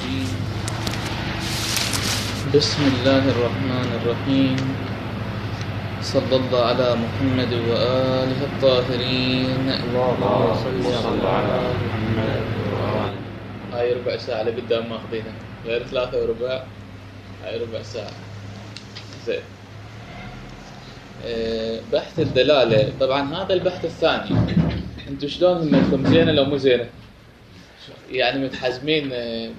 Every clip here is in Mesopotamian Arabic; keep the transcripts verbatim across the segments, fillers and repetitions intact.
الرجيم. بسم الله الرحمن الرحيم. صلى الله على محمد وآله الطاهرين. اللهم صل على محمد وآله. هاي ربع ساعة لقدام ماخذينها، غير ثلاثة وربع، هاي ربع ساعة. زين. أه بحث الدلالة، طبعا هذا البحث الثاني. انتو شلون همتكم، زينة لو مو زينة؟ يعني متحزمين،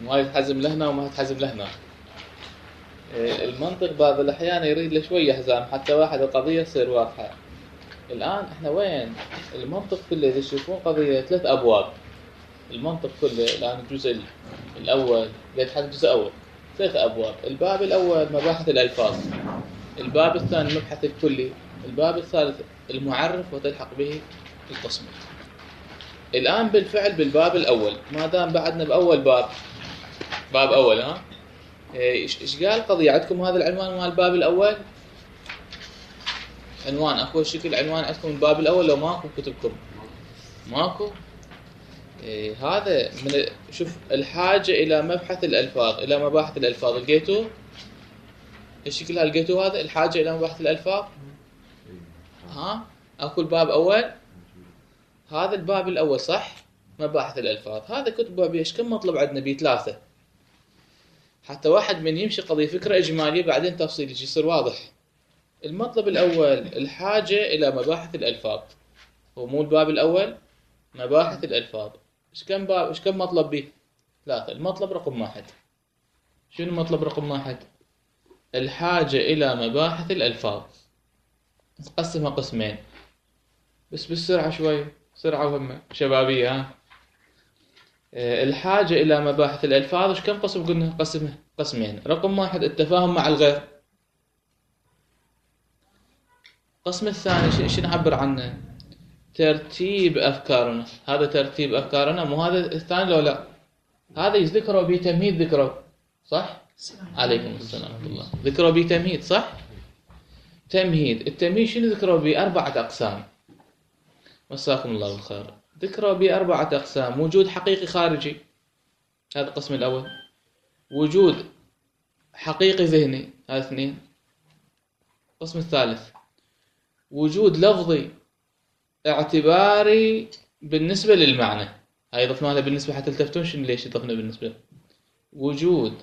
ما يتحزم لهنا وما يتحزم لهنا. المنطق بعض الأحيان يريد له شوية حزام حتى واحد القضية تصير واضحة. الآن احنا وين؟ المنطق كله إذا تشوفون قضية ثلاث أبواب. المنطق كله الآن الجزء الأول قد حد الجزء الأول ثلاث أبواب. الباب الأول مباحث الألفاظ، الباب الثاني المبحث الكلي، الباب الثالث المعرف وتلحق به القسم. الآن بالفعل بالباب الأول، ما دام بعدنا بأول باب، باب أول ها إيش إيش قال قضية عندكم؟ هذا العنوان مال الباب الأول، عنوان أكو شكل عنوان عندكم الباب الأول لو ماكو كتبكم؟ ماكو. إيه هذا من شوف الحاجة إلى مبحث الألفاظ، إلى مباحث الألفاظ، لقيتوه؟ إيش شكلها لقيتوه؟ هذا الحاجة إلى مباحث الألفاظ. ها أكو الباب أول، هذا الباب الأول صح؟ مباحث الألفاظ. هذا كتبه بيش كم مطلب عندنا؟ بيه ثلاثة، حتى واحد من يمشي قضية فكرة إجمالية بعدين تفصيل يصير واضح. المطلب الأول الحاجة إلى مباحث الألفاظ، هو مو الباب الأول مباحث الألفاظ. إيش كم باب، إيش كم مطلب بيه؟ ثلاثة. المطلب رقم واحد، شنو المطلب رقم واحد؟ الحاجة إلى مباحث الألفاظ. نقسمها قسمين بس بالسرعة شوي، سرعة وهمة شبابية. ها الحاجة إلى مباحث الألفاظ إيش كم قسم قلنا؟ قسمه قسمين. رقم واحد التفاهم مع الغير. القسم الثاني شو نعبر عنه؟ ترتيب أفكارنا. هذا ترتيب أفكارنا، مو هذا الثاني لو لا؟ هذا يذكره بتمهيد، ذكره صح؟ عليكم السلام ورحمة الله. ذكره بتمهيد صح؟ تمهيد. التمهيد شنو ذكره؟ بأربعة أقسام. مساكم الله بالخير. ذكره بأربعة أقسام. وجود حقيقي خارجي، هذا القسم الأول. وجود حقيقي ذهني، هذا اثنين. القسم الثالث وجود لفظي اعتباري بالنسبة للمعنى. هاي ضفنا لها بالنسبة حتى تلتفتون شنو ليش ضفنا بالنسبة. وجود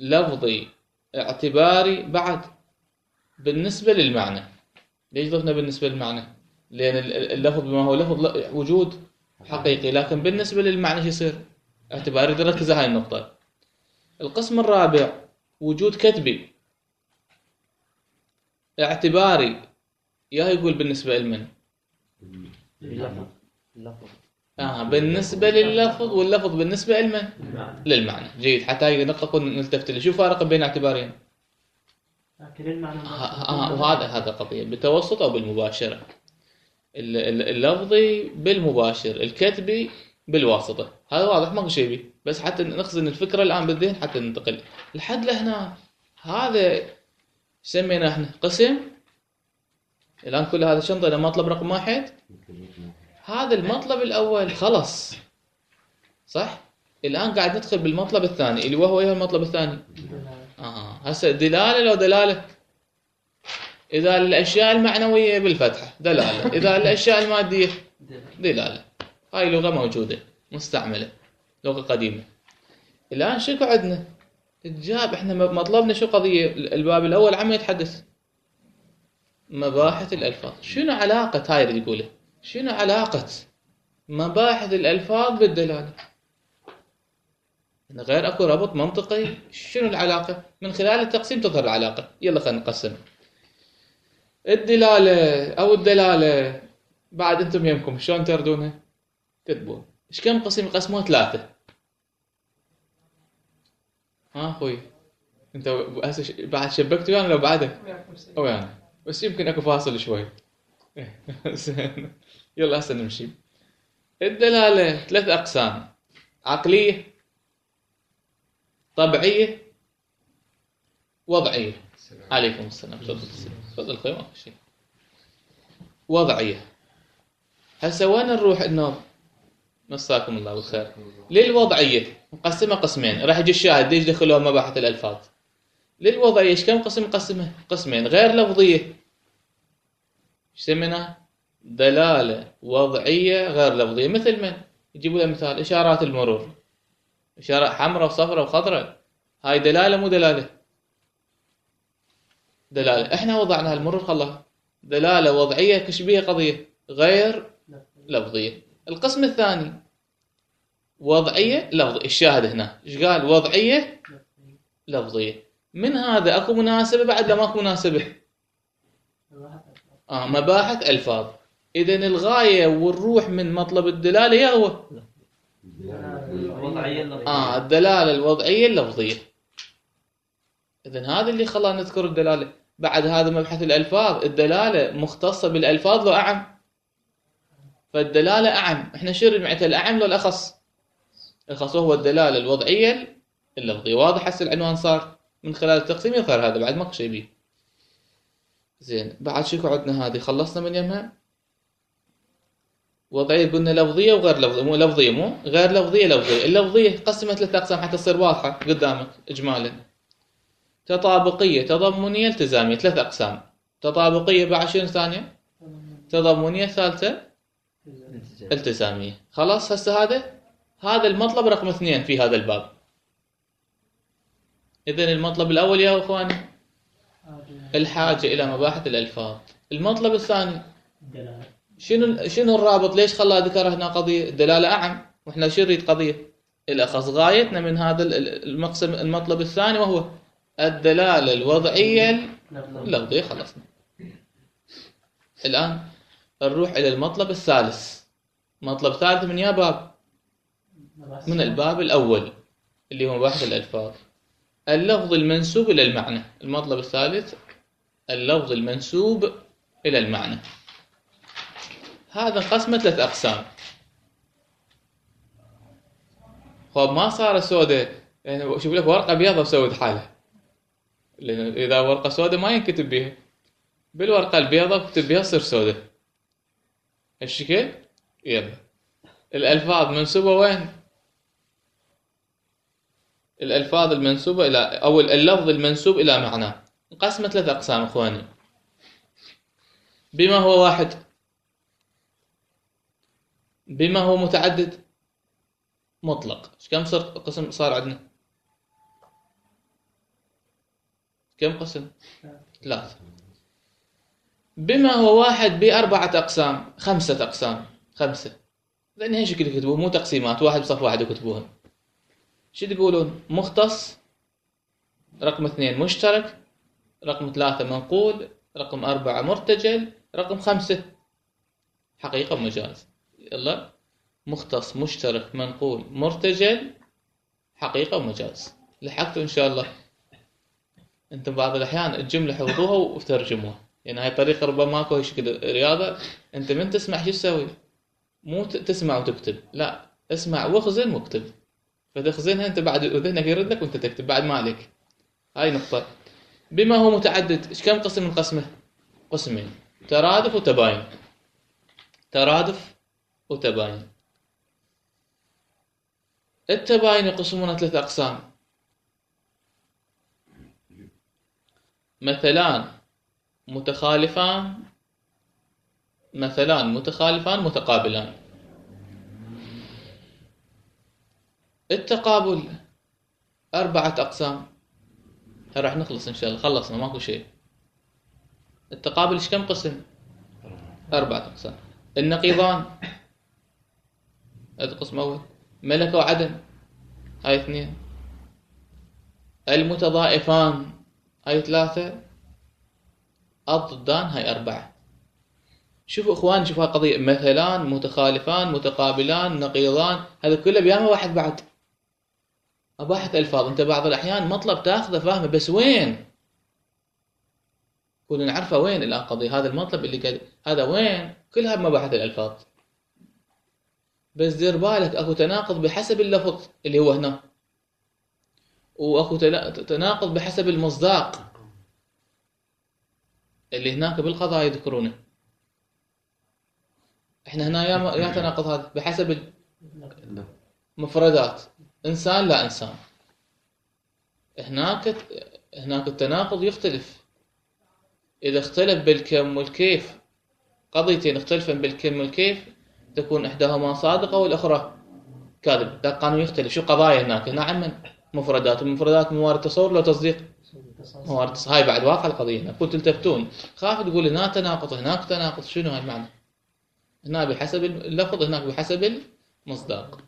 لفظي اعتباري بعد بالنسبة للمعنى. ليش ضفنا بالنسبة للمعنى؟ لأن اللفظ بما هو لفظ وجود حقيقي، لكن بالنسبة للمعنى شو يصير؟ اعتباري. نركز على هاي النقطة. القسم الرابع وجود كتبي اعتباري، يا يقول بالنسبة لمن؟ اللفظ. آه بالنسبة لللفظ، واللفظ بالنسبة لمن؟ للمعنى. جيد، حتى هاي النقطة كنا نلتفت لها. شو فارق بين اعتبارين؟ لكن المعنى آه وهذا هذا قضية بالتوسط أو بالمباشرة. اللفظي بالمباشر، الكتبي بالواسطة. هذا واضح ما شيء بيه، بس حتى نخزن الفكرة الآن بالذهن حتى ننتقل لحد لهنا. هذا سمينا احنا قسم. الآن كل هذا شنطة إلى مطلب رقم واحد. هذا المطلب الأول خلص صح؟ الآن قاعد ندخل بالمطلب الثاني اللي وهو ايه المطلب الثاني؟ آه هسه دلالة لو دلالة. إذا الأشياء المعنوية بالفتحة دلالة، إذا الأشياء المادية دلالة. هاي لغة موجودة مستعملة، لغة قديمة. الآن شكو عندنا؟ الجاب احنا مطلبنا شو قضية؟ الباب الأول عم يتحدث مباحث الألفاظ. شنو علاقة هاي اللي يقوله؟ شنو علاقة مباحث الألفاظ بالدلالة؟ غير أكو ربط منطقي. شنو العلاقة؟ من خلال التقسيم تظهر العلاقة. يلا خلينا نقسم. الدلالة أو الدلالة بعد أنتم يمكم شلون تردونها؟ كتبون. إيش كم قسم؟ قسموها ثلاثة. ها أخوي أنت هسه بعد شبكتوا يعني لو بعدك أو يعني بس يمكن أكو فاصل شوي. يلا هسه نمشي. الدلالة ثلاث أقسام: عقلية، طبيعية، وضعية. عليكم السلام. تفضل تفضل خوي ما في شيء. وضعية. هسه وين نروح النوم؟ مساكم الله بالخير. للوضعية نقسمها قسمين، راح يجي الشاهد ليش دخلوها مباحث الألفاظ. للوضعية ايش كم قسم؟ نقسمها قسمين. غير لفظية ايش سميناها؟ دلالة وضعية غير لفظية. مثل من؟ يجيبوا لها مثال إشارات المرور، إشارة حمراء وصفراء وخضراء، هاي دلالة مو دلالة؟ دلالة. احنا وضعناها المرور خلاها دلالة وضعية كشبيه قضية غير لفظية. القسم الثاني وضعية لفظية. الشاهد هنا ايش قال؟ وضعية لفظية. من هذا اكو مناسبة بعد لا ماكو مناسبة؟ اه مباحث الفاظ. اذا الغاية والروح من مطلب الدلالة يا هو اه الدلالة الوضعية اللفظية. اذا هذا اللي خلانا نذكر الدلالة. بعد هذا مبحث الالفاظ، الدلالة مختصة بالالفاظ لو اعم؟ فالدلالة اعم. احنا شو معناتها الاعم لو الاخص؟ الخاص هو الدلالة الوضعية اللفظية. واضح هسه العنوان صار من خلال التقسيم يظهر هذا بعد ماكو شيء بيه. زين بعد شو عندنا؟ هذه خلصنا من يمها. وضعية قلنا لفظية وغير لفظية، مو لفظية مو غير لفظية لفظية. اللفظية قسمت ثلاث أقسام حتى تصير واضحة قدامك إجمالا. تطابقية، تضمنية، التزامية. ثلاث أقسام. تطابقية بعد شنو ثانية؟ تضمنية، ثالثة التزامية. خلاص هسه هذا هذا المطلب رقم اثنين في هذا الباب. إذن المطلب الأول يا أخواني الحاجة إلى مباحث الألفاظ. المطلب الثاني شنو شنو الرابط؟ ليش خلاه ذكر هنا قضية الدلالة أعم وإحنا شو نريد قضية الأخص؟ غايتنا من هذا المقسم المطلب الثاني وهو الدلالة الوضعية اللفظية. خلصنا. الآن نروح إلى المطلب الثالث. مطلب ثالث من يا باب؟ من الباب الأول اللي هو مباحث الألفاظ. اللفظ المنسوب إلى المعنى. المطلب الثالث اللفظ المنسوب إلى المعنى. هذا انقسم ثلاث أقسام. خب ما صار سوداء، يعني شوف لك ورقة بيضة وسود حالها، لأن إذا ورقة سوداء ما ينكتب بها، بالورقة البيضة بكتب بها تصير سوداء. هالشكل يلا. الألفاظ منسوبة وين؟ الألفاظ المنسوبة إلى أو اللفظ المنسوب إلى معناه انقسم ثلاث أقسام إخواني. بما هو واحد، بما هو متعدد، مطلق. كم صار قسم صار عندنا؟ كم قسم؟ ثلاثة. بما هو واحد بأربعة أقسام، خمسة أقسام، خمسة. لأن هي شكل يكتبوه مو تقسيمات، واحد بصف واحد يكتبوها. شو تقولون؟ مختص، رقم اثنين مشترك، رقم ثلاثة منقول، رقم أربعة مرتجل، رقم خمسة حقيقة ومجاز. يلا مختص مشترك منقول مرتجل حقيقة ومجاز. لحقتوا إن شاء الله. أنتم بعض الأحيان الجملة حفظوها وترجموها، يعني هاي طريقة ربما ماكو هي شكل رياضة. أنت من تسمع شو تسوي؟ مو تسمع وتكتب، لا اسمع واخزن واكتب. فتخزنها أنت بعد ذهنك يرد لك وأنت تكتب بعد ما عليك. هاي نقطة. بما هو متعدد، إيش كم قسم من قسمه؟ قسمين: ترادف وتباين. ترادف وتباين. التباين يقسمون ثلاث أقسام: مثلان متخالفان، مثلان متخالفان متقابلان. التقابل أربعة أقسام. راح نخلص إن شاء الله، خلصنا ماكو شيء. التقابل إيش كم قسم؟ أربعة أقسام. النقيضان هذا قسم أول. ملكة وعدم هاي اثنين. المتضائفان هاي ثلاثة. الضدان هاي أربعة. شوفوا إخوان، شوفوا هالقضية: مثلان متخالفان متقابلان نقيضان، هذا كله بيامه واحد بعد. مباحث ألفاظ. أنت بعض الأحيان مطلب تأخذه فاهمه بس وين؟ كلنا نعرفه وين الآن قضية هذا المطلب اللي قال هذا وين؟ كلها بمباحث الألفاظ. بس دير بالك أكو تناقض بحسب اللفظ اللي هو هنا، وأكو تناقض بحسب المصداق اللي هناك بالقضاء يذكرونه. احنا هنا يا يا تناقض هذا بحسب المفردات، إنسان لا إنسان. هناك هناك التناقض يختلف. إذا اختلف بالكم والكيف، قضيتين اختلفن بالكم والكيف، تكون إحداهما صادقة والأخرى كاذب. ده القانون يختلف. شو قضايا هناك؟ هنا عمن مفردات، المفردات موارد تصور لو تصديق موارد تصديق. هاي بعد واقع القضية. هنا قلت تلتفتون، خاف تقول هنا تناقض هناك تناقض. شنو هاي المعنى؟ هنا بحسب اللفظ، هناك بحسب المصداق.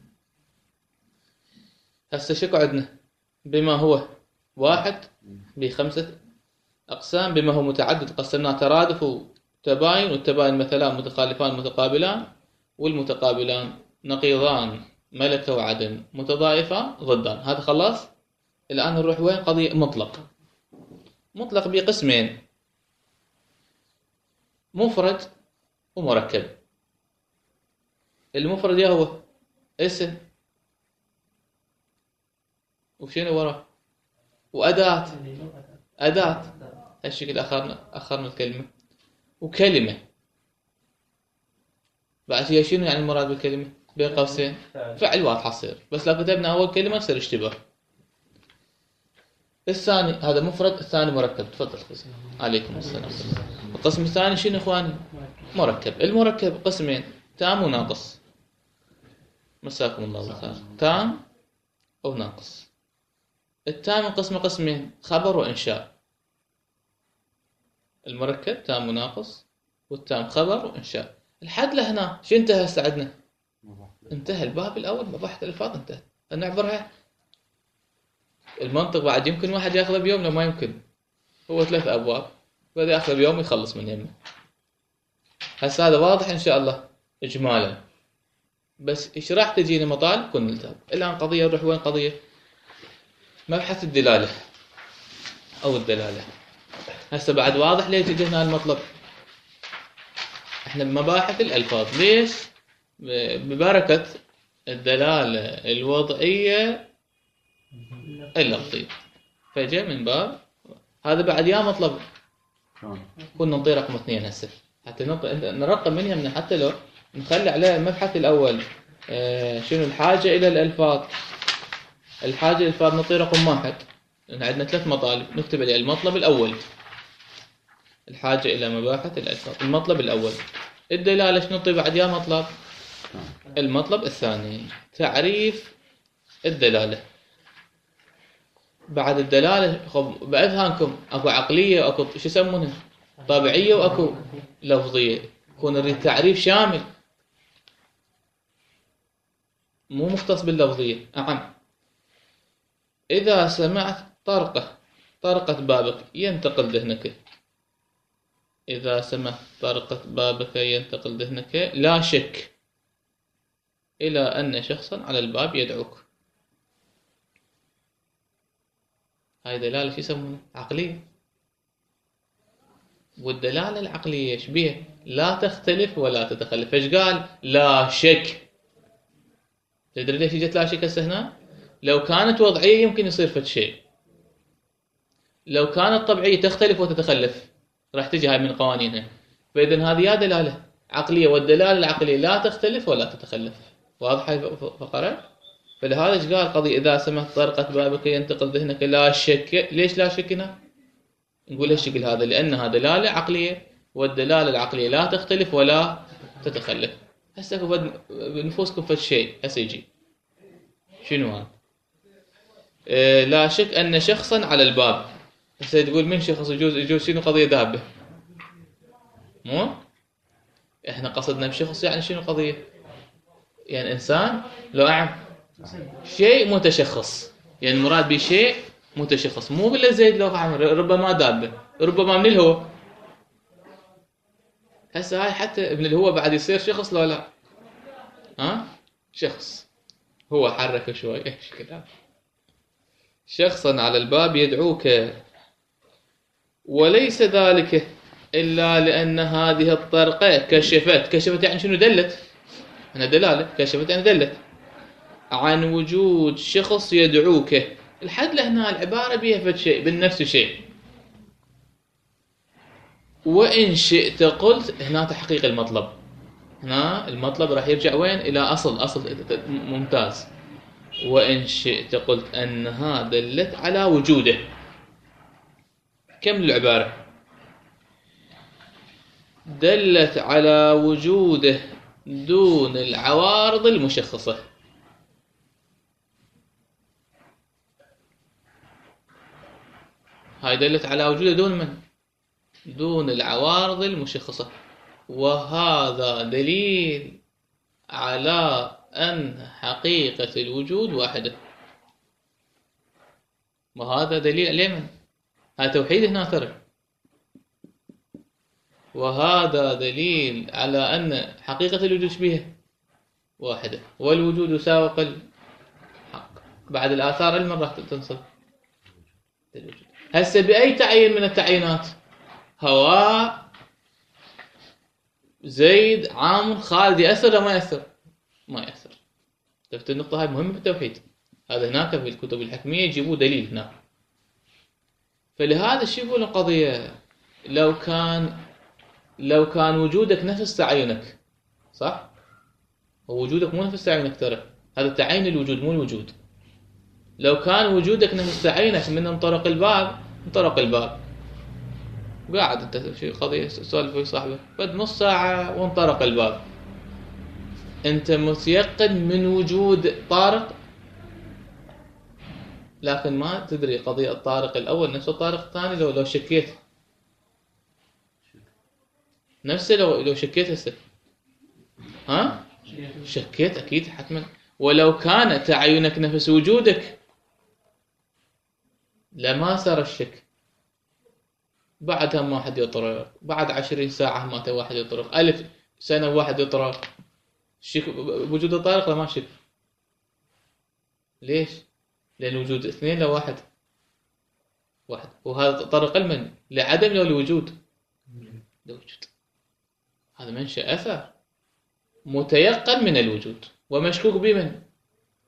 هسه شو عندنا؟ بما هو واحد بخمسة أقسام، بما هو متعدد قسمناه ترادف وتباين، والتباين مثلان متخالفان متقابلان، والمتقابلان نقيضان ملكة وعدم، متضايفان ضدان. هذا خلاص. الآن نروح وين؟ قضية مطلق. مطلق بقسمين، مفرد ومركب. المفرد يا هو اسم وشنو وراه؟ وأداة. أداة هالشكل أخرنا أخرنا الكلمة. وكلمة. بعد هي شنو يعني المراد بالكلمة؟ بين قوسين فعل واضحة تصير، بس لو كتبنا أول كلمة يصير اشتباه. الثاني هذا مفرد، الثاني مركب. تفضل. عليكم السلام. القسم الثاني شنو إخواني؟ مركب. المركب قسمين، تام وناقص. مساكم الله بالخير. تام أو ناقص. التام قسم قسمين، خبر وإنشاء. المركب تام وناقص، والتام خبر وإنشاء. الحد لهنا شو انتهى هسه عندنا؟ انتهى الباب الأول، مباحث الألفاظ انتهى. نعبرها. المنطق بعد يمكن واحد ياخذه بيوم، لو ما يمكن. هو ثلاث أبواب، بدأ ياخذه بيوم يخلص من يمه. هسه هذا واضح إن شاء الله إجمالا، بس إيش راح تجيني مطالب كن نلتهب. الآن قضية نروح وين؟ قضية مبحث الدلالة أو الدلالة. هسه بعد واضح ليش جينا المطلب. احنا بمباحث الألفاظ. ليش؟ ببركة الدلالة الوضعية اللفظية، فجاء من باب هذا. بعد يا مطلب كنا نطي رقم اثنين هسه حتى نرقم منها، من حتى لو نخلي عليه المبحث الأول. اه شنو الحاجة إلى الألفاظ؟ الحاجة إلى الألفاظ نطي رقم واحد. عندنا ثلاث مطالب نكتب عليه. المطلب الأول الحاجة إلى مباحث الألفاظ، المطلب الأول. الدلالة شنو نطي بعد يا مطلب؟ المطلب الثاني، تعريف الدلالة. بعد الدلالة خب بأذهانكم أكو عقلية وأكو شو يسمونها طبيعية وأكو لفظية. يكون نريد تعريف شامل مو مختص باللفظية. نعم. إذا سمعت طرقة طرقة بابك ينتقل ذهنك. إذا سمعت طرقة بابك ينتقل ذهنك لا شك إلى أن شخصا على الباب يدعوك. هاي دلالة شو يسمونها؟ عقلية. والدلالة العقلية ايش بيها؟ لا تختلف ولا تتخلف. ايش قال؟ لا شك. تدري ليش جت لا شك هسه هنا؟ لو كانت وضعية يمكن يصير فد شيء. لو كانت طبيعية تختلف وتتخلف راح تجي هاي من قوانينها. فإذا هذه يا دلالة عقلية، والدلالة العقلية لا تختلف ولا تتخلف. واضح هاي فقرة؟ فلهذا ايش قال قضية إذا سمعت طرقة بابك ينتقل ذهنك لا شك. ليش لا شك هنا؟ نقول هالشكل هذا لأنها دلالة عقلية، والدلالة العقلية لا تختلف ولا تتخلف. هسه بنفوسكم فد شيء هسه يجي شنو هذا؟ إيه لا شك أن شخصا على الباب. هسه تقول من شخص؟ يجوز يجوز شنو قضية دابة؟ مو احنا قصدنا بشخص يعني شنو قضية؟ يعني إنسان لو أعم شيء متشخص، يعني المراد بشيء متشخص، مو بالله زيد لو أعم ربما دابة، ربما من الهو. هسه هاي حتى من الهو بعد يصير شخص لو لا؟ ها شخص هو حركه شوي ايش كذا. شخصا على الباب يدعوك، وليس ذلك إلا لأن هذه الطرقة كشفت. كشفت يعني شنو؟ دلت. هنا دلالة. كشفت يعني دلت عن وجود شخص يدعوك. الحد لهنا العبارة بيها فد شيء بالنفس شيء. وإن شئت قلت هنا تحقيق المطلب. هنا المطلب راح يرجع وين؟ إلى أصل. أصل ممتاز. وإن شئت قلت أنها دلت على وجوده. كم العبارة؟ دلت على وجوده دون العوارض المشخصة. هاي دلت على وجوده دون من؟ دون العوارض المشخصة. وهذا دليل على أن حقيقة الوجود واحدة. وهذا دليل على من؟ هذا توحيد هنا ترى. وهذا دليل على أن حقيقة الوجود بها واحدة، والوجود سابق الحق. بعد الآثار علما راح تنصب الوجود. هسه بأي تعيين من التعيينات؟ هواء، زيد، عامر، خالد، يأثر ولا ما يأثر؟ ما يأثر. شفت النقطة هاي مهمة بالتوحيد. هذا هناك في الكتب الحكمية يجيبوا دليل هناك. فلهذا شو يقول القضية؟ لو كان لو كان وجودك نفس تعينك، صح؟ ووجودك مو نفس تعينك ترى. هذا تعين الوجود مو الوجود. لو كان وجودك نفس تعينك من انطرق الباب، انطرق الباب. قاعد انت شيء قضية سولف ويا صاحبك بعد نص ساعة وانطرق الباب. انت متيقن من وجود طارق، لكن ما تدري قضية الطارق الأول نفس الطارق الثاني. لو لو شكيت نفسه، لو لو شكيت هسه ها شكيت أكيد حتما. ولو كان تعينك نفس وجودك لما صار الشك. بعدها ما واحد يطرق، بعد عشرين ساعة ما واحد يطرق، ألف سنة واحد يطرق، شك بوجود الطارق لما شك. ليش؟ لأن وجود اثنين لو واحد واحد. وهذا طرق المن لعدم لو لوجود لوجود. هذا منشأ أثر متيقن من الوجود ومشكوك بمن؟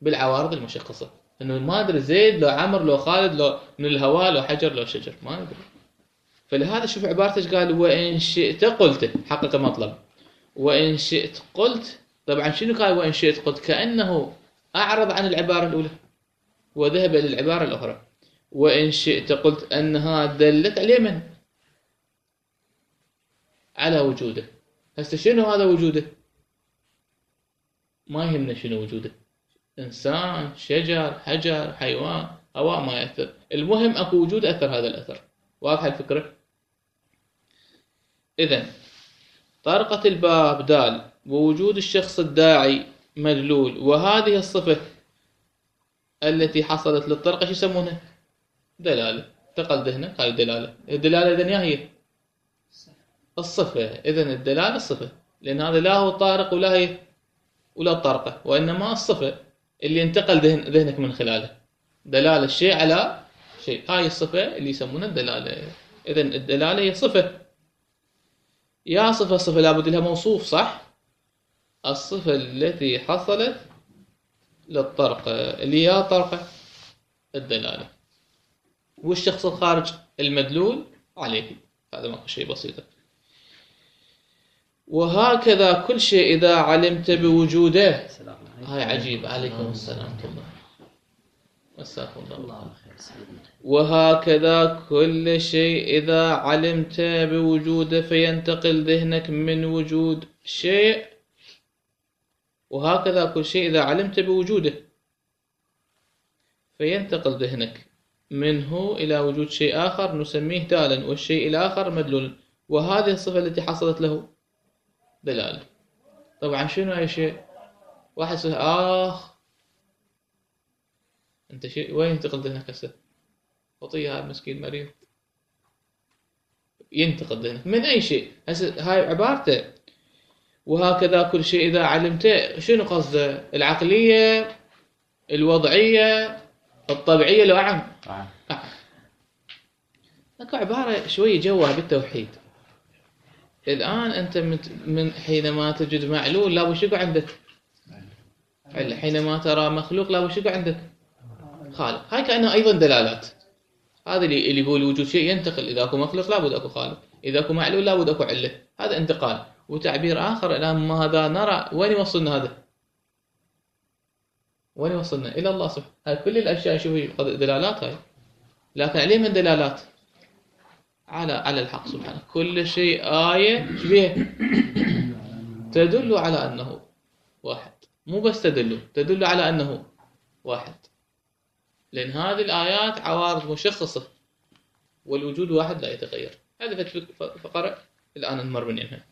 بالعوارض المشخصة. إنه ما أدري زيد لو عمر لو خالد لو من الهواء لو حجر لو شجر، ما ندري. فلهذا شوف عبارتش قال وإن شئت قلت، حقق المطلب. وإن شئت قلت، طبعا شنو قال وإن شئت قلت؟ كأنه أعرض عن العبارة الأولى وذهب إلى العبارة الأخرى. وإن شئت قلت أنها دلت على من؟ على وجوده. هسه شنو هذا وجوده؟ ما يهمنا شنو وجوده، إنسان، شجر، حجر، حيوان، هواء، ما يأثر. المهم أكو وجود أثر هذا الأثر. واضحة الفكرة؟ إذن طرقة الباب دال، ووجود الشخص الداعي مدلول، وهذه الصفة التي حصلت للطرقة شو يسمونها؟ دلالة. تقل ذهنك هاي دلالة. الدلالة إذن هي الصفة. إذن الدلالة الصفة، لأن هذا لا هو طارق ولا هي ولا الطرقة، وإنما الصفة اللي انتقل ذهن ذهنك من خلاله. دلالة الشيء على شيء، هاي الصفة اللي يسمونها الدلالة. إذن الدلالة هي صفة. يا صفة صفة لابد لها موصوف، صح؟ الصفة التي حصلت للطرقة اللي هي طرقة الدلالة، والشخص الخارج المدلول عليه. هذا ما شيء بسيط. وهكذا كل شيء إذا علمت بوجوده. هاي عجيب. عليكم السلام ورحمة الله. مساكم الله خير. وهكذا كل شيء إذا علمت بوجوده فينتقل ذهنك من وجود شيء. وهكذا كل شيء إذا علمت بوجوده فينتقل ذهنك منه إلى وجود شيء آخر نسميه دالا، والشيء الآخر مدلول، وهذه الصفة التي حصلت له دلالة. طبعا شنو أي شيء؟ واحد سهل آخ أنت شيء وين ينتقل ذهنك هسه؟ خطية هذا مسكين مريض. ينتقل ذهنك من أي شيء. هسه هاي عبارته. وهكذا كل شيء إذا علمته. شنو قصده؟ العقلية، الوضعية، الطبيعية، لو أعم أعم لكن عبارة شوية جوها بالتوحيد. الآن أنت من حينما تجد معلول لا وش يقع عندك؟ حينما ترى مخلوق لا وش يقع عندك؟ خالق. هاي كأنها أيضا دلالات. هذا اللي اللي يقول وجود شيء ينتقل. إذا أكو مخلوق لابد أكو خالق، إذا أكو معلول لابد أكو علة. هذا انتقال. وتعبير آخر الآن ما هذا نرى وين يوصلنا هذا؟ وين يوصلنا؟ إلى الله سبحانه. هاي كل الأشياء شوفي دلالات هاي، لكن عليه من دلالات على على الحق سبحانه. كل شيء آية شبيه تدل على أنه واحد، مو بس تدل تدل على أنه واحد، لأن هذه الآيات عوارض مشخصة والوجود واحد لا يتغير. هذه فقرة الآن نمر منها.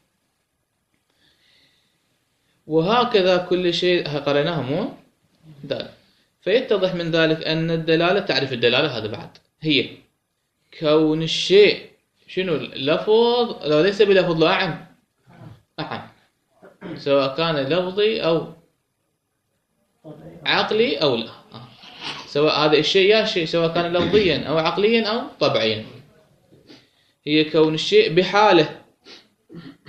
وهكذا كل شيء قرأناها مو دال. فيتضح من ذلك أن الدلالة، تعرف الدلالة هذا بعد هي كون الشيء شنو لفظ لو ليس بلفظ لا أعم أعم، سواء كان لفظي أو عقلي أو لا، سواء هذا الشيء يا شيء سواء كان لفظيا أو عقليا أو طبعيا. هي كون الشيء بحاله،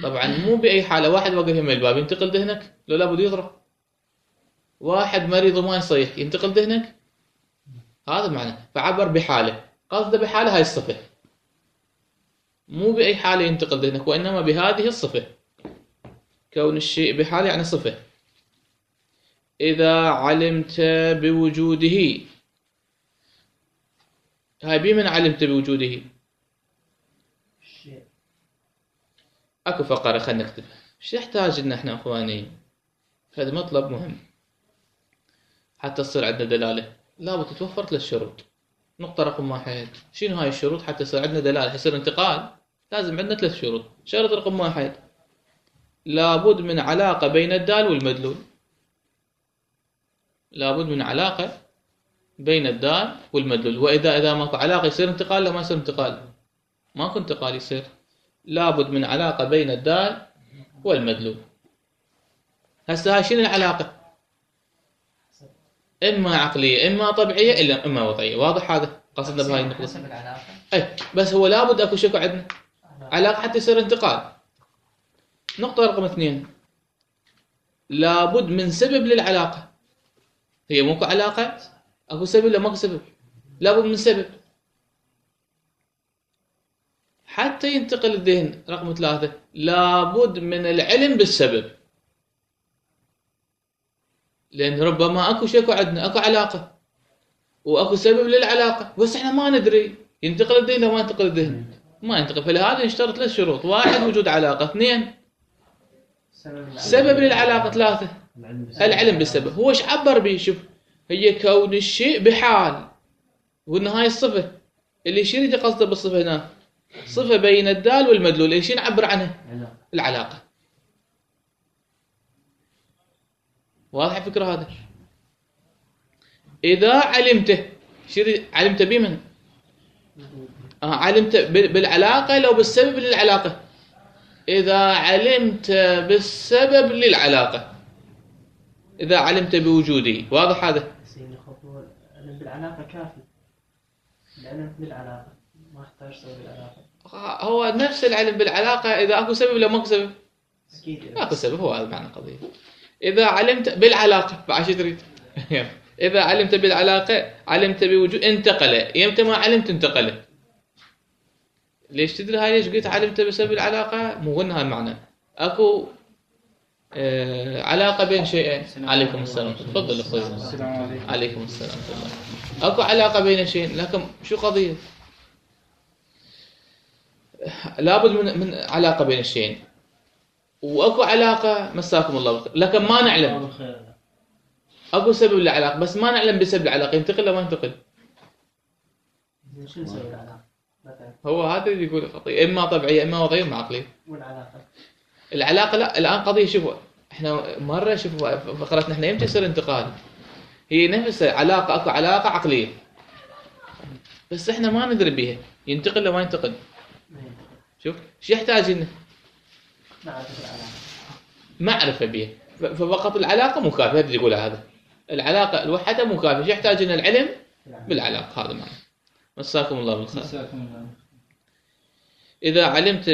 طبعا مو بأي حالة. واحد واقف يم الباب ينتقل ذهنك لو لابد يضرب، واحد مريض وما يصيح ينتقل ذهنك، هذا معنى. فعبر بحاله، قصده بحاله هاي الصفة، مو بأي حالة ينتقل ذهنك، وإنما بهذه الصفة. كون الشيء بحاله يعني صفة. إذا علمت بوجوده، هاي بمن علمت بوجوده؟ اكو فقرة خلينا نكتبها. ايش يحتاج لنا احنا اخواني؟ هذا مطلب مهم حتى تصير عندنا دلالة. لابد تتوفر ثلاث شروط. نقطة رقم واحد، شنو هاي الشروط حتى يصير عندنا دلالة يصير انتقال؟ لازم عندنا ثلاث شروط. شرط رقم واحد، لابد من علاقة بين الدال والمدلول. لابد من علاقة بين الدال والمدلول. وإذا إذا ماكو علاقة يصير انتقال؟ لا ما يصير انتقال، ماكو انتقال يصير. لابد من علاقة بين الدال والمدلول. هسه هاي شنو العلاقة؟ إما عقلية إما طبيعية إلا إما وضعية. واضح هذا قصدنا بهاي النقطة؟ أي بس هو لابد أكو شكو عندنا علاقة حتى يصير انتقال. نقطة رقم اثنين، لابد من سبب للعلاقة. هي موكو علاقة، أكو سبب لا ماكو سبب، لابد من سبب حتى ينتقل الذهن. رقم ثلاثة، لابد من العلم بالسبب، لأن ربما أكو شيء عندنا أكو علاقة وأكو سبب للعلاقة بس إحنا ما ندري ينتقل الذهن أو ما ينتقل الذهن، ما ينتقل. فلهذا نشترط ثلاث شروط: واحد وجود علاقة، اثنين سبب للعلاقة، ثلاثة العلم بالسبب. هو ايش عبر به؟ شوف، هي كون الشيء بحال، وإن هاي الصفة اللي شو يريد قصده بالصفة هنا؟ صفة بين الدال والمدلول. ايش نعبر عنها؟ العلاقة. واضح الفكرة هذا؟ إذا علمته، شو علمت بمن؟ آه علمت بالعلاقة لو بالسبب للعلاقة. إذا علمت بالسبب للعلاقة، إذا علمت بوجوده. واضح هذا؟ العلم بالعلاقة كافي. العلم بالعلاقة ما يحتاج سبب العلاقة. هو نفس العلم بالعلاقة إذا أكو سبب ولا ماكو سبب؟ أكيد أكو سبب. هو هذا معنى القضية. إذا علمت بالعلاقة بعد شو تريد؟ إذا علمت بالعلاقة علمت بوجود، انتقل. يمتى ما علمت انتقل. ليش تدري هاي؟ ليش قلت علمت بسبب العلاقة؟ مو قلنا هالمعنى. أكو آه علاقة بين شيئين. عليكم السلام. تفضل أخوي. عليكم السلام. أكو علاقة بين شيئين، لكن شو قضية؟ لابد من من علاقة بين الشيئين، واكو علاقة مساكم الله بخير، لكن ما نعلم. اكو سبب للعلاقة بس ما نعلم بسبب العلاقة. ينتقل ولا ما ينتقل؟ شنو سبب العلاقة؟ هو هذا اللي يقول خطية، اما طبيعية اما وضعية اما عقلية. والعلاقة العلاقة لا، الان قضية. شوفوا احنا مرة شوفوا فقرتنا احنا يمتى يصير انتقال. هي نفس علاقة، اكو علاقة عقلية بس احنا ما ندري بيها ينتقل ولا ما ينتقل. شوف شو يحتاج لنا؟ معرفة العلاقة، معرفة بيها. ففقط العلاقة مو كافية. هذا يقول هذا العلاقة لوحدها مو كافية. شو يحتاج لنا؟ العلم بالعلاقة. هذا معنى. مساكم الله بالخير. مساكم الله. إذا علمت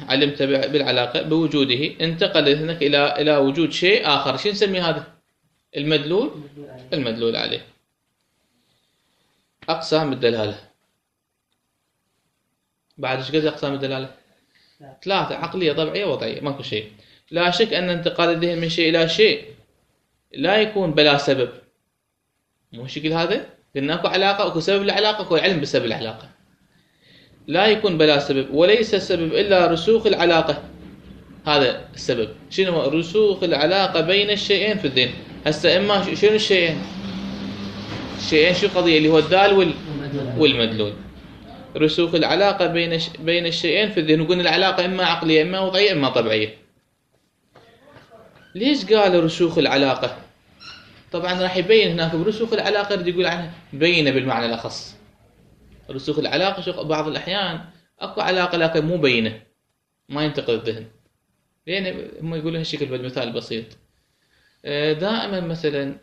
علمت بالعلاقة بوجوده، انتقل ذهنك إلى إلى وجود شيء آخر. شو نسمي هذا؟ المدلول. المدلول عليه. أقسام الدلالة. بعد ايش قد أقسام الدلالة؟ ثلاثة: عقلية طبيعية وضعية. ماكو شيء. لا شك أن انتقال الذهن من شيء إلى شيء لا يكون بلا سبب. مو الشكل هذا؟ قلنا اكو علاقه، اكو سبب العلاقه، اكو علم بسبب العلاقه. لا يكون بلا سبب، وليس السبب الا رسوخ العلاقه. هذا السبب. شنو رسوخ العلاقه بين الشيئين في الذهن. هسه اما شنو الشيئين؟ الشيئين شو القضيه اللي هو الذال وال والمدلول. رسوخ العلاقه بين ش... بين الشيئين في الذهن. وقلنا العلاقه اما عقليه اما وضعيه اما طبيعيه. ليش قال رسوخ العلاقه؟ طبعا راح يبين هناك برسوخ العلاقه يريد يقول عنها بينه بالمعنى الاخص. رسوخ العلاقه شو بعض الاحيان اكو علاقه لكن مو بينه، ما ينتقل الذهن. لان هم يقولون هالشكل بالمثال بسيط. دائما مثلا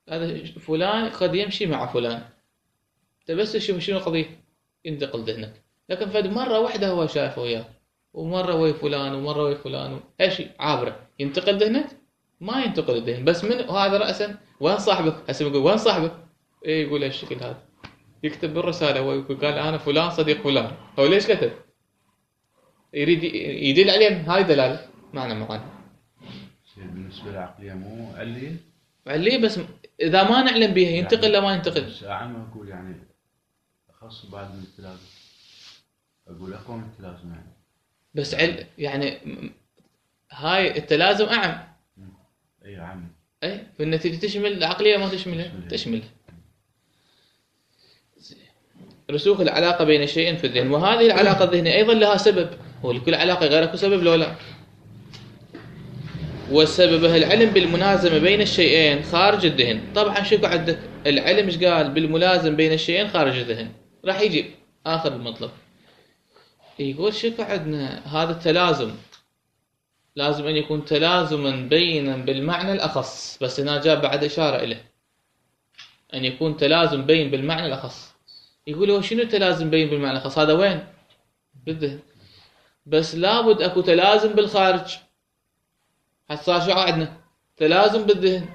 هذا فلان قد يمشي مع فلان، انت بس تشوف شنو القضيه ينتقل ذهنك. لكن فد مره واحده هو شايفه وياه، ومره ويا فلان ومره ويا فلان، هالشيء عابره ينتقل ذهنك؟ ما ينتقل الذهن. بس من هذا راسا وين صاحبك؟ هسه يقول وين صاحبك؟ ايه يقول هالشكل هذا، يكتب بالرساله هو يقول قال انا فلان صديق فلان. هو ليش كتب؟ يريد يدل عليه. هاي دلاله معنى معنى. بالنسبه للعقليه مو عليه؟ عليه بس اذا ما نعلم بها ينتقل يعني لا ما ينتقل. بس عم اقول يعني اخص بعد من التلازم، اقول اقوى من التلازم يعني. بس عل يعني هاي التلازم اعم. اي عم. اي بالنتيجه تشمل العقليه ما تشملها؟ تشملها. رسوخ العلاقه بين الشيئين في الذهن. وهذه العلاقه الذهنيه ايضا لها سبب. هو لكل علاقه غير اكو سبب لو لا؟ وسببها العلم بالملازمه بين الشيئين خارج الذهن. طبعا شو عندك العلم ايش قال؟ بالملازم بين الشيئين خارج الذهن. راح يجي اخر المطلب يقول شو عندنا هذا التلازم لازم ان يكون تلازما بينا بالمعنى الاخص. بس هنا جاب بعد اشاره اليه ان يكون تلازم بين بالمعنى الاخص. يقول هو شنو تلازم بين بالمعنى الاخص؟ هذا وين؟ بالذهن. بس لابد اكو تلازم بالخارج. حتى صار شو عندنا؟ تلازم بالذهن،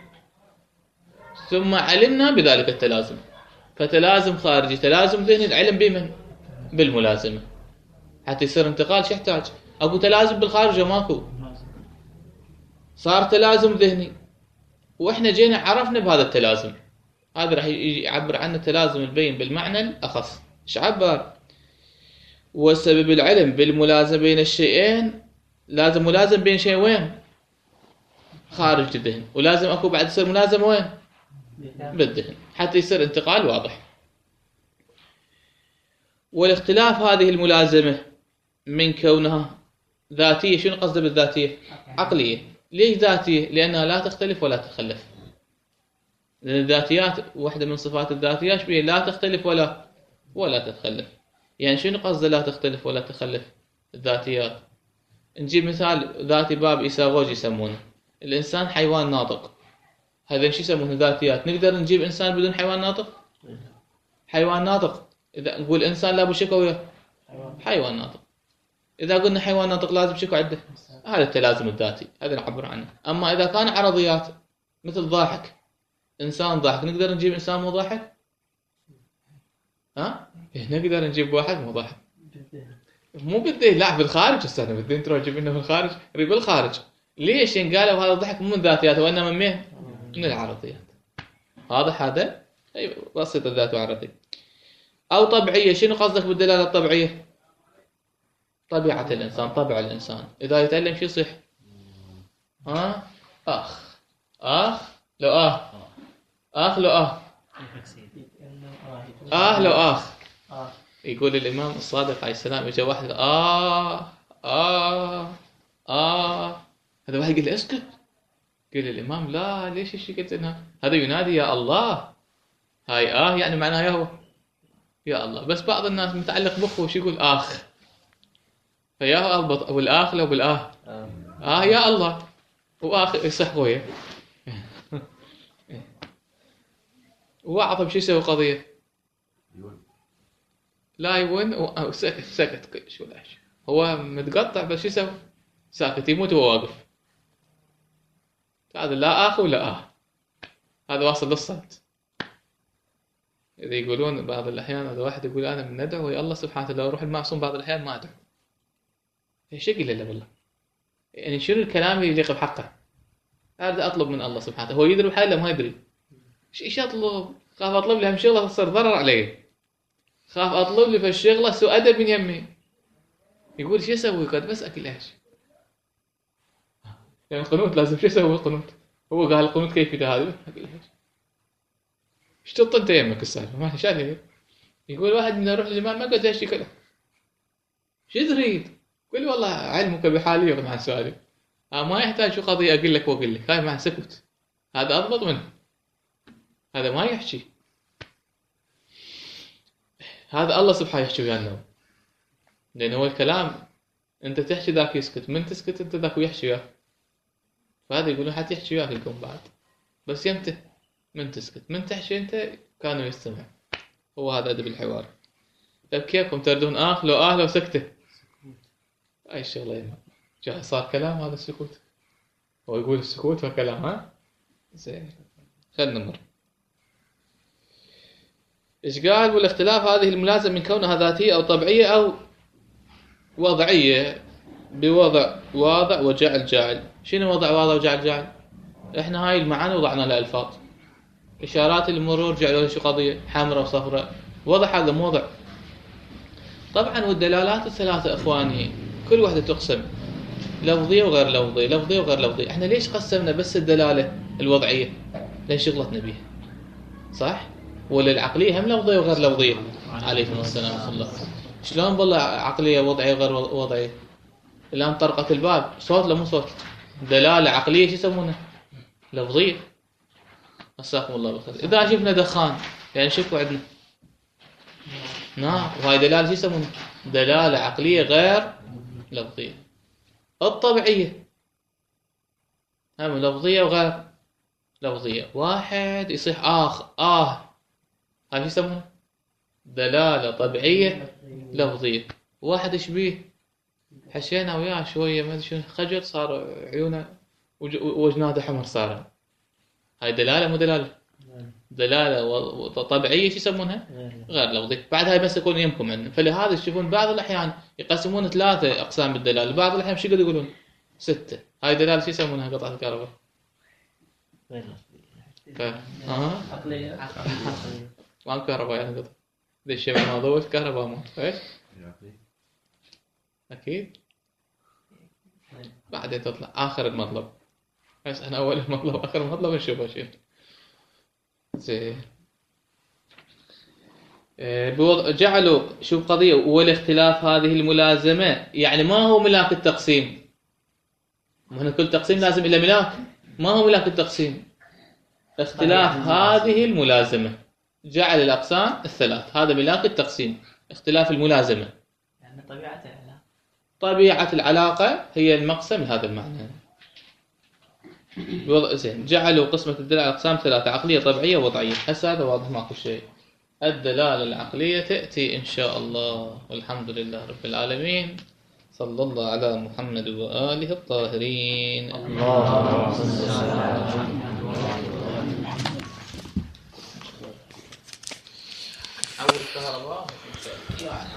ثم علمنا بذلك التلازم. فتلازم خارجي تلازم ذهني. العلم بمن؟ بالملازمه. حتى يصير انتقال شو يحتاج؟ اكو تلازم بالخارج وماكو، صار تلازم ذهني واحنا جينا عرفنا بهذا التلازم. هذا راح يعبر عنه التلازم البين بالمعنى الاخص. ايش عبر؟ وسبب العلم بالملازمه بين الشيئين. لازم ملازم بين شيء وين؟ خارج الذهن. ولازم اكو بعد يصير ملازمه وين؟ بالذهن، حتى يصير انتقال واضح. والاختلاف هذه الملازمه من كونها ذاتيه. شنو قصده بالذاتيه؟ عقليه. ليش ذاتيه؟ لانها لا تختلف ولا تتخلف. لان الذاتيات واحده من صفات الذاتيات بيه لا تختلف ولا ولا تتخلف. يعني شنو قصده لا تختلف ولا تتخلف الذاتيات؟ نجيب مثال ذاتي باب ايثاغوج يسمونه. الانسان حيوان ناطق، هذا شو يسمونه؟ ذاتيات. نقدر نجيب انسان بدون حيوان ناطق؟ حيوان ناطق اذا نقول انسان لابد شكو وياه حيوان ناطق. اذا قلنا حيوان ناطق لازم شكو عنده؟ هذا التلازم الذاتي، هذا نعبر عنه. اما اذا كان عرضيات مثل ضاحك، انسان ضاحك، نقدر نجيب انسان مو ضاحك؟ ها؟ نقدر نجيب واحد مو ضاحك. مو بالذهن، لا بالخارج. استنى بالذهن تروح تجيب لنا بالخارج؟ ريب بالخارج. ليش؟ يعني قالوا هذا الضحك مو من ذاتياته وانما من مين؟ من العرضيات. واضح هذا؟ اي بسيط الذات وعرضي. او طبيعيه. شنو قصدك بالدلاله الطبيعيه؟ طبيعه الانسان، طبع الانسان. اذا يتعلم شو يصيح؟ ها؟ اخ اخ لو اه اخ لو اه اه لو اخ. يقول الامام الصادق عليه السلام اجى واحد اه اه اه هذا واحد قال له اسكت. قال الامام لا ليش ايش قلت انها؟ هذا ينادي يا الله. هاي اه يعني معناها يا هو يا الله. بس بعض الناس متعلق بخه وش يقول اخ، فيا اربط والاخ لو بالاه اه يا الله واخ يصح ويا. وعطب شو يسوي قضيه؟ لا يون وسكت سكت شو لا هو متقطع بس شو يسوي؟ ساكت يموت وهو واقف. هذا لا اخ ولا اه، هذا واصل للصمت. اذا يقولون بعض الاحيان هذا واحد يقول انا من ندعو يا الله سبحانه وتعالى روح المعصوم بعض الاحيان ما ادعو. ايش يقول له والله؟ يعني شنو الكلام اللي يليق بحقه؟ هذا اطلب من الله سبحانه وتعالى. هو يدري بحاله ما يدري. ايش اطلب؟ خاف اطلب لي هم شغله تصير ضرر علي، خاف اطلب لي فالشغله سوء ادب من يمي. يقول شو اسوي قد بس اكل عيش. يعني القنوت لازم شو اسوي القنوت؟ هو قال القنوت كيف هذا؟ اكل عيش. ايش تط انت يمك السالفه؟ ما شايف. يقول واحد من يروح للامام ما قد ايش يكله. شو تريد؟ قل والله علمك بحالي يغني عن سؤالي. آه ما يحتاج شو قضيه اقول لك واقول لك، هاي مع سكت. هذا اضبط منه. هذا ما يحكي. هذا الله سبحانه يحكي ويانا. لأن هو الكلام أنت تحكي ذاك يسكت، من تسكت أنت ذاك ويحكي وياك. فهذا يقولون حتى يحكي وياك القوم بعد. بس يمته من تسكت، من تحكي أنت كانوا يستمع. هو هذا أدب الحوار. طيب كيفكم تردون آه لو آه لو سكته؟ أي الشغلة يما. جاء صار كلام هذا السكوت. هو يقول السكوت وكلام ها؟ زين. خلنا نمر. إيش قال؟ والاختلاف هذه الملازمة من كونها ذاتية أو طبيعية أو وضعية بوضع واضع وجعل جاعل. شنو وضع واضع وجعل جاعل؟ إحنا هاي المعاني وضعنا لها ألفاظ. إشارات المرور جعلوا شو قضية؟ حمراء وصفراء. وضع هذا مو وضع. طبعا والدلالات الثلاثة إخواني كل واحدة تقسم لفظية وغير لفظية، لفظية وغير لفظية. إحنا ليش قسمنا بس الدلالة الوضعية؟ لأن شغلتنا بيها. صح؟ ولا العقلية هم لفظية وغير لفظية. عليكم السلام ورحمة الله. شلون والله عقلية وضعية وغير وضعية؟ الآن طرقة الباب صوت لا مو صوت؟ دلالة عقلية شو يسمونها؟ لفظية. مساكم الله بالخير. إذا شفنا دخان يعني شكو عندنا نعم، وهاي دلالة شو يسمونها؟ دلالة عقلية غير لفظية. الطبيعية هم لفظية وغير لفظية. واحد يصيح آخ آه هاي شو يسمونها؟ دلالة طبيعية لفظية. واحد يشبيه حشينا وياه شوية ما ادري شنو خجل صار عيونه وجناده حمر صار. هاي دلالة مو دلالة؟ دلالة طبيعية شو يسمونها؟ غير لفظية. بعد هاي بس يكون يمكم عندنا. فلهذا تشوفون بعض الأحيان يقسمون ثلاثة أقسام بالدلالة، بعض الأحيان شو يقولون؟ ستة. هاي دلالة شو يسمونها قطعة الكهرباء؟ غير اها عقلية. ما الكهرباء يعني قطع. ذي الشيء ما ضوء الكهرباء مو ايش؟ أكيد. بعدين تطلع آخر المطلب. بس أنا أول المطلب آخر المطلب نشوفه شيء. زين. جعلوا شوف قضية والاختلاف هذه الملازمة يعني ما هو ملاك التقسيم. هنا كل تقسيم لازم إلى ملاك. ما هو ملاك التقسيم؟ اختلاف هذه الملازمة. جعل الأقسام الثلاث هذا ملاك التقسيم. اختلاف الملازمة يعني طبيعة العلاقة. طبيعة العلاقة هي المقسم لهذا المعنى. زين. جعلوا قسمة الدلالة أقسام ثلاثة: عقلية طبيعية ووضعية. هسه هذا واضح ماكو شيء. الدلالة العقلية تأتي إن شاء الله. والحمد لله رب العالمين. صلى الله على محمد وآله الطاهرين. الله أول كهرباء يعني